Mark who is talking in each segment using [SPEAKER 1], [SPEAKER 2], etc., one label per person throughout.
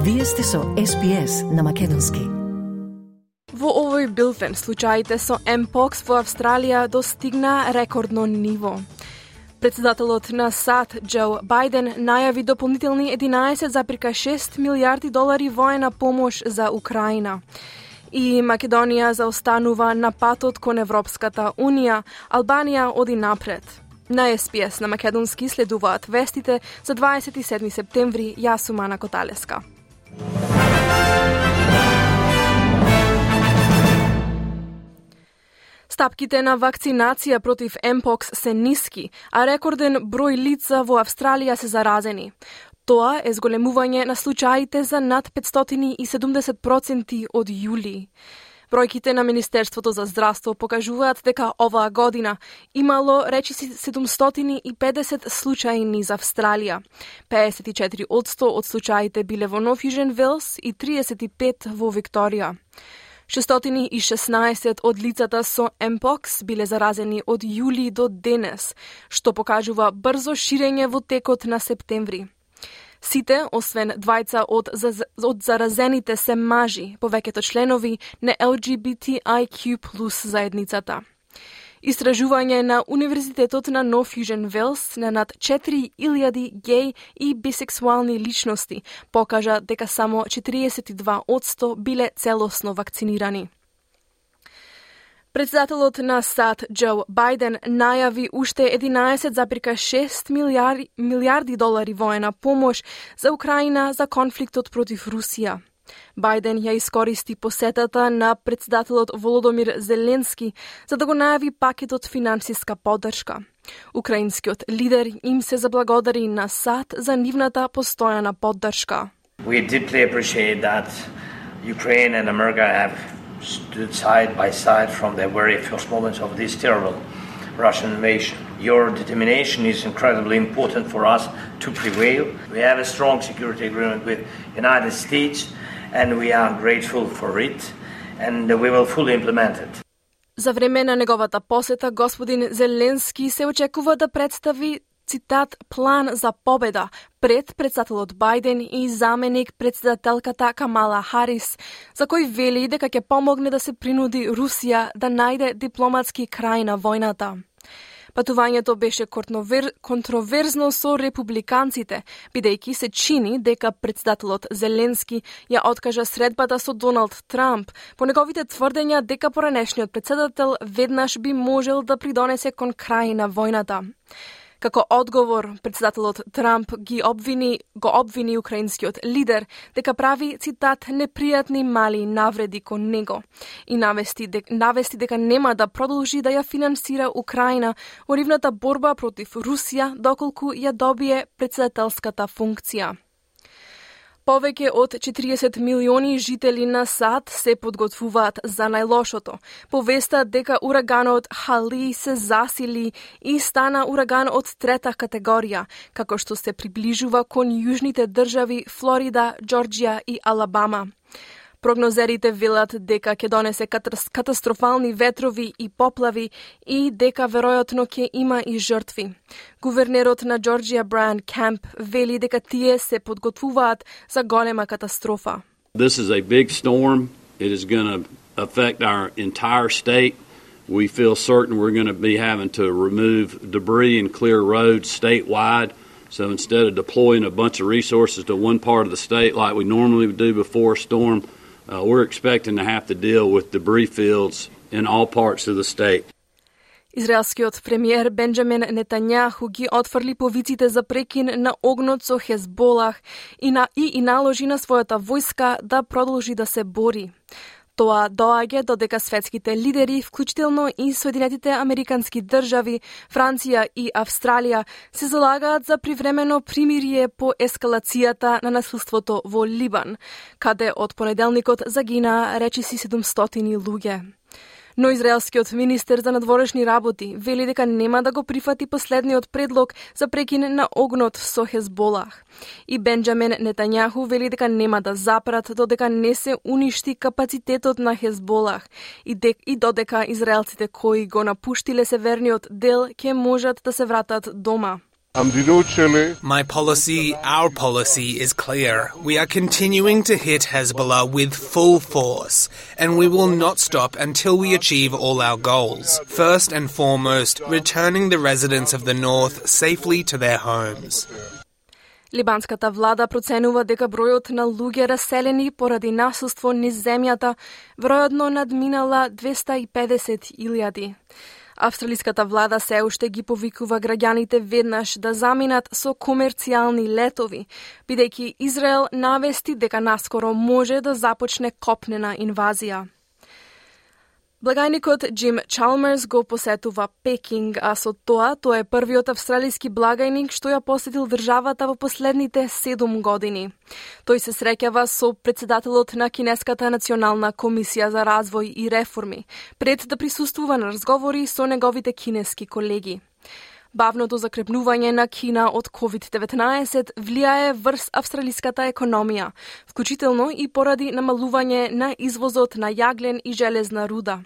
[SPEAKER 1] Вие сте со SPS на македонски.
[SPEAKER 2] Во овој билтен случаите со Mpox во Австралија достигна рекордно ниво. Председателот на САД Џо Бајден најави дополнителни 11,6 милијарди долари воена помош за Украина. И Македонија заостанува на патот кон Европската Унија, Албанија оди напред. На SPS на македонски следуваат вестите за 27 септември. Јас сум Ана Коталеска. Стапките на вакцинација против Mpox се ниски, а рекорден број лица во Австралија се заразени. Тоа е зголемување на случаите за над 570% од јули. Бројките на Министерството за здравство покажуваат дека оваа година имало речиси 750 случаи низ Австралија. 54% од случаите биле во Нов Јужен Велс и 35 во Викторија. 616 од лицата со Mpox биле заразени од јули до денес, што покажува брзо ширење во текот на септември. Сите, освен двајца од заразените се мажи, повеќето членови на LGBTIQ+ заедницата. Истражување на Универзитетот на Нов Јужен Велс на над 4000 геј и бисексуални личности покажа дека само 42% биле целосно вакцинирани. Председателот на САД Џо Бајден најави уште 11,6 милијарди долари воена помош за Украина за конфликтот против Русија. Бајден ја искористи посетата на председателот Володомир Зеленски за да го најави пакетот финансиска поддршка. Украинскиот лидер им се заблагодари на САД за нивната постојана поддршка.
[SPEAKER 3] We deeply appreciate that Ukraine and America have stood side by side from the very first moments of this terrible Russian invasion. Your determination is incredibly important for us to prevail. We have a strong security agreement with the United States and we are grateful for it and we will fully implement it.
[SPEAKER 2] За време на неговата посета, господин Зеленски се очекува да представи, цитат, план за победа пред председателот Бајден и заменик председателката Камала Харис, за кој вели дека ќе помогне да се принуди Русија да најде дипломатски крај на војната. Патувањето беше контроверзно со републиканците, бидејќи се чини дека председателот Зеленски ја откажа средбата со Доналд Трамп по неговите тврдења дека поранешниот председател веднаш би можел да придонесе кон крај на војната. Како одговор, председателот Трамп го обвини украинскиот лидер дека прави, цитат, непријатни мали навреди кон него и навести дека нема да продолжи да ја финансира Украина во нивната борба против Русија доколку ја добие председателската функција. Повеќе од 40 милиони жители на САД се подготвуваат за најлошото. Повеста дека ураганот Хали се засили и стана ураган од трета категорија, како што се приближува кон јужните држави Флорида, Џорџија и Алабама. Прогнозерите велат дека ќе донесе катастрофални ветрови и поплави и дека веројатно ќе има и жртви. Гувернерот на Џорџија Брайан Кемп вели дека тие се подготвуваат за голема катастрофа.
[SPEAKER 4] This is a big storm. It is going to affect our entire state. We feel certain we're going to be having to remove debris and clear roads statewide. So instead of deploying a bunch of resources to one part of the state like we normally would do before a storm, we're expecting to have to deal with debris fields in all parts of the state.
[SPEAKER 2] Израелскиот премиер Бенџамин Нетањаху ги отфрли повиците за прекин на огнот со Хезболах и наложи на својата војска да продолжи да се бори. Тоа доаѓа додека светските лидери, вклучително и Соединетите Американски држави, Франција и Австралија, се залагаат за привремено примирие по ескалацијата на насилството во Либан, каде од понеделникот загинаа речиси 700 луѓе. Но израелскиот министер за надворешни работи вели дека нема да го прифати последниот предлог за прекин на огнот со Хезболах. И Бенџамин Нетањаху вели дека нема да запрат додека не се уништи капацитетот на Хезболах и додека израелците кои го напуштиле северниот дел ќе можат да се вратат дома.
[SPEAKER 5] My policy, our policy, is clear. We are continuing to hit Hezbollah with full force, and we will not stop until we achieve all our goals. First and foremost, returning the residents of the north safely to their homes.
[SPEAKER 2] Либанската влада проценува дека бројот на луѓе раселени поради насуство низ земјата веројатно надминала 250.000. Австралиската влада се уште ги повикува граѓаните веднаш да заминат со комерцијални летови, бидејќи Израел навести дека наскоро може да започне копнена инвазија. Благајникот Джим Чалмерс го посетува Пекинг, а со тоа тој е првиот австралиски благајник што ја посетил државата во последните 7 години. Тој се среќава со претседателот на Кинеската национална комисија за развој и реформи, пред да присуствува на разговори со неговите кинески колеги. Бавното закрепнување на Кина од COVID-19 влијае врз австралиската економија, вклучително и поради намалување на извозот на јаглен и железна руда.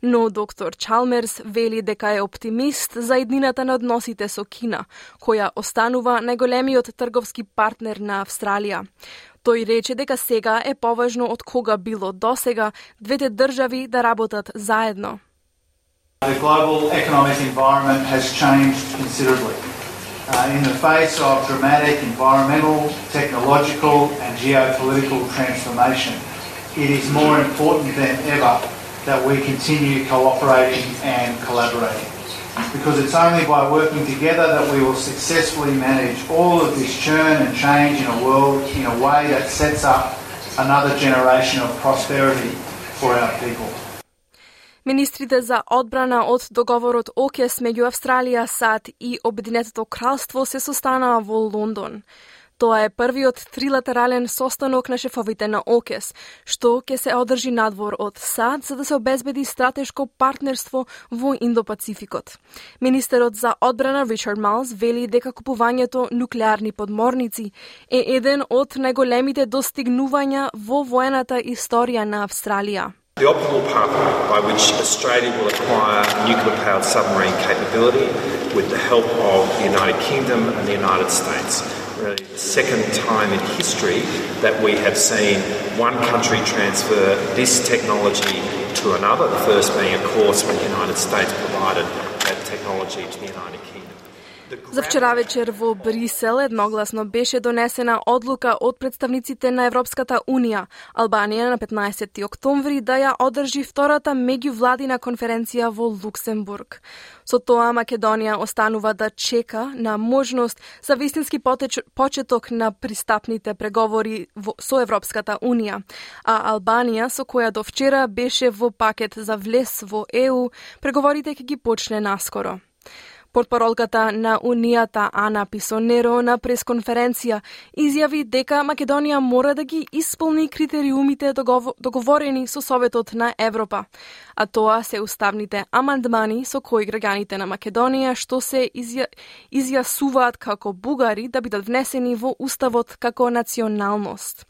[SPEAKER 2] Но доктор Чалмерс вели дека е оптимист за иднината на односите со Кина, која останува најголемиот трговски партнер на Австралија. Тој рече дека сега е поважно од кога било досега двете држави да работат заедно.
[SPEAKER 6] The global economic environment has changed considerably. In the face of dramatic environmental, technological and geopolitical transformation, it is more important than ever that we continue cooperating and collaborating. Because it's only by working together that we will successfully manage all of this churn and change in a world in a way that sets up another generation of prosperity for our people.
[SPEAKER 2] Министрите за одбрана од договорот ОКЕС меѓу Австралија, САД и Обединетото кралство се состанаа во Лондон. Тоа е првиот трилатерален состанок на шефовите на ОКЕС, што ќе се одржи надвор од САД за да се обезбеди стратешко партнерство во Индо-Пацификот. Министерот за одбрана Ричард Малс вели дека купувањето нуклеарни подморници е еден од најголемите достигнувања во воената историја на Австралија.
[SPEAKER 7] The optimal pathway by which Australia will acquire nuclear-powered submarine capability with the help of the United Kingdom and the United States. Really the second time in history that we have seen one country transfer this technology to another, the first being, of course, when the United States provided that technology to the United Kingdom.
[SPEAKER 2] За вчера вечер во Брисел едногласно беше донесена одлука од представниците на Европската Унија, Албанија на 15 октомври да ја одржи втората меѓувладина конференција во Луксембург. Со тоа Македонија останува да чека на можност за вистински почеток на пристапните преговори со Европската Унија, а Албанија, со која до вчера беше во пакет за влез во ЕУ, преговорите ќе ги почне наскоро. Портпаролката на Унијата Ана Писонеро на пресконференција изјави дека Македонија мора да ги исполни критериумите договорени со Советот на Европа, а тоа се уставните амандмани со кои граѓаните на Македонија што се изјасуваат како бугари да бидат внесени во уставот како националност.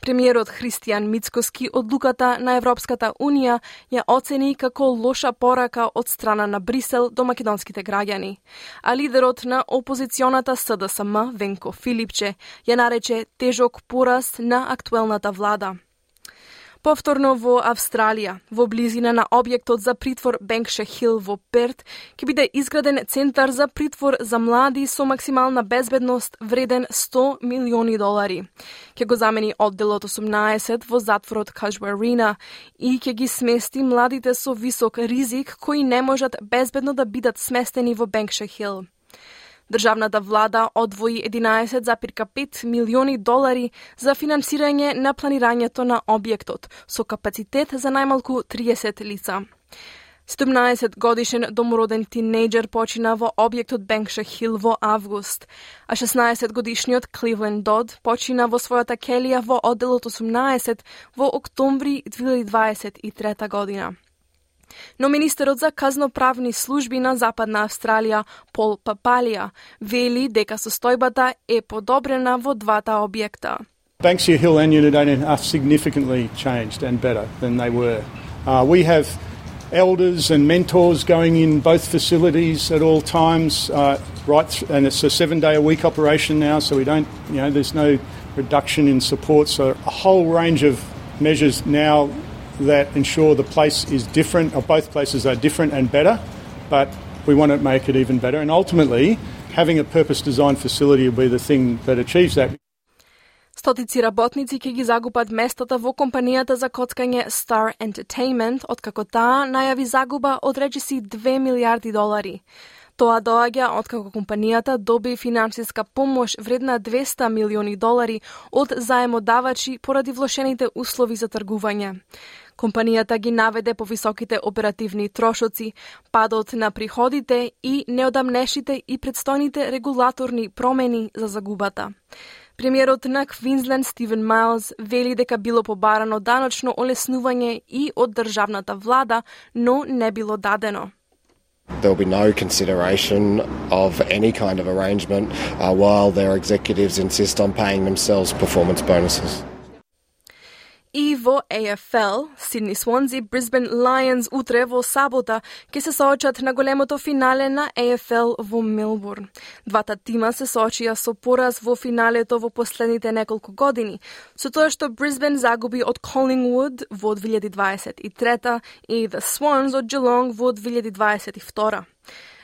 [SPEAKER 2] Премиерот Христијан Мицкоски одлуката на Европската Унија ја оцени како лоша порака од страна на Брисел до македонските граѓани. А лидерот на опозиционата СДСМ, Венко Филипче, ја нарече тежок пораз на актуелната влада. Повторно во Австралија, во близина на објектот за притвор Бенкшир Хил во Перт, ќе биде изграден центар за притвор за млади со максимална безбедност вреден $100 милиони. Ќе го замени одделот 18 во затворот Кажуарина и ќе ги смести младите со висок ризик кои не можат безбедно да бидат сместени во Бенкшир Хил. Државната влада одвои $11,5 милиони за финансирање на планирањето на објектот, со капацитет за најмалку 30 лица. 17-годишен домороден тинејџер почина во објектот Бенкшир Хил во август, а 16-годишниот Кливленд Дод почина во својата келија во одделот 18 во октомври 2023 година. Но министерот за казноправни служби на Западна Австралија, Пол Папалија, вели дека состојбата е подобрена во двата објекта.
[SPEAKER 8] Banksia Hill and Unit 18 are significantly changed and better than they were. We have elders and mentors going in both facilities at all times, and it's a 7-day-a-week operation now, so we don't, there's no reduction in support. So a whole range of measures now that ensure the place is different, or both places are different and better, but we want to make it even better. And ultimately, having a purpose-designed facility will be the thing that achieves that.
[SPEAKER 2] Стотици работници ќе ги загубат местата во компанијата за коцкање Star Entertainment, откако таа најави загуба од речиси $2 милиарди. Тоа доаѓа откако компанијата доби финансиска помош вредна $200 милиони од заемодавачи поради влошените услови за тргување. Компанијата ги наведе повисоките оперативни трошоци, падот на приходите и неодамнешните и предстојните регулаторни промени за загубата. Премиерот на Квинсленд Стивен Майлз вели дека било побарано даночно олеснување и од државната влада, но не било дадено.
[SPEAKER 9] There will be no consideration of any kind of arrangement while their executives insist on paying themselves performance bonuses.
[SPEAKER 2] И во AFL, Сидни Свонзи, Брисбен Лајонс утре во сабота ќе се соочат на големото финале на AFL во Мелбурн. Двата тима се соочија со пораз во финалето во последните неколку години, со тоа што Брисбен загуби од Collingwood во 2023 и The Swans од Geelong во 2022.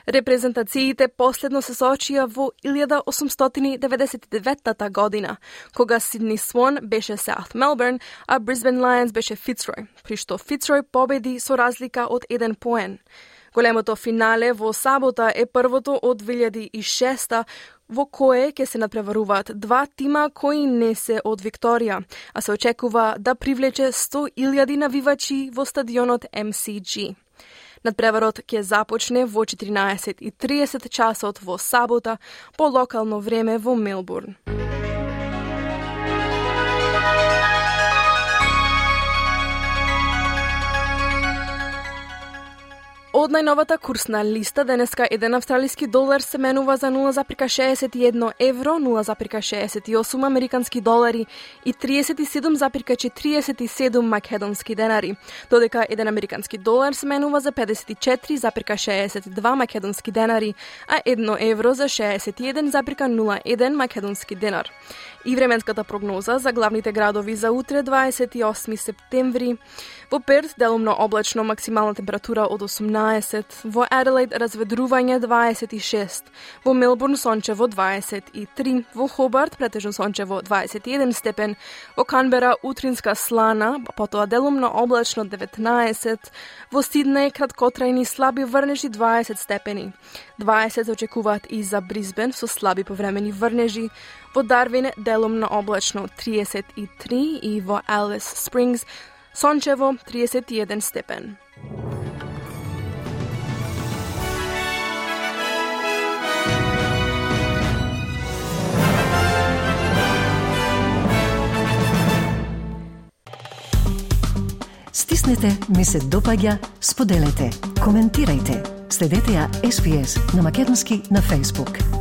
[SPEAKER 2] Репрезентациите последно се соочија во 1899 година, кога Сидни Свон беше South Melbourne, а Brisbane Lions беше Fitzroy, при што Fitzroy победи со разлика од 1 поен. Големото финале во сабота е првото од 2006 во кое ќе се надпреваруваат два тима кои не се од Викторија, а се очекува да привлече 100,000 навивачи во стадионот MCG. Надпреварот ќе започне во 14:30 часот во сабота по локално време во Мелбурн. Од најновата курсна листа, денеска еден австралиски долар се менува за 0,61 евро, 0,68 американски долари и 37,47 македонски денари, додека еден американски долар се менува за 54,62 македонски денари, а 1 евро за 61,01 македонски денар. И временската прогноза за главните градови за утре, 28 септември. Во Перт делумно облачно, максимална температура од 18, во Аделаид разведрување 26, во Мелбурн сончево 23, во Хобарт претежно сончево 21 степен, во Канбера утринска слана, потоа делумно облачно 19, во Сиднеј краткотрајни слаби врнежи 20 степени. 20 се очекуваат и за Брисбен со слаби повремени врнежи, во Дарвин делумно облачно 33 и во Алис Спрингс сончево 31 степен.
[SPEAKER 1] Стиснете, ми се допаѓа, споделете, коментирајте. Следете ја SPS на Македонски на Facebook.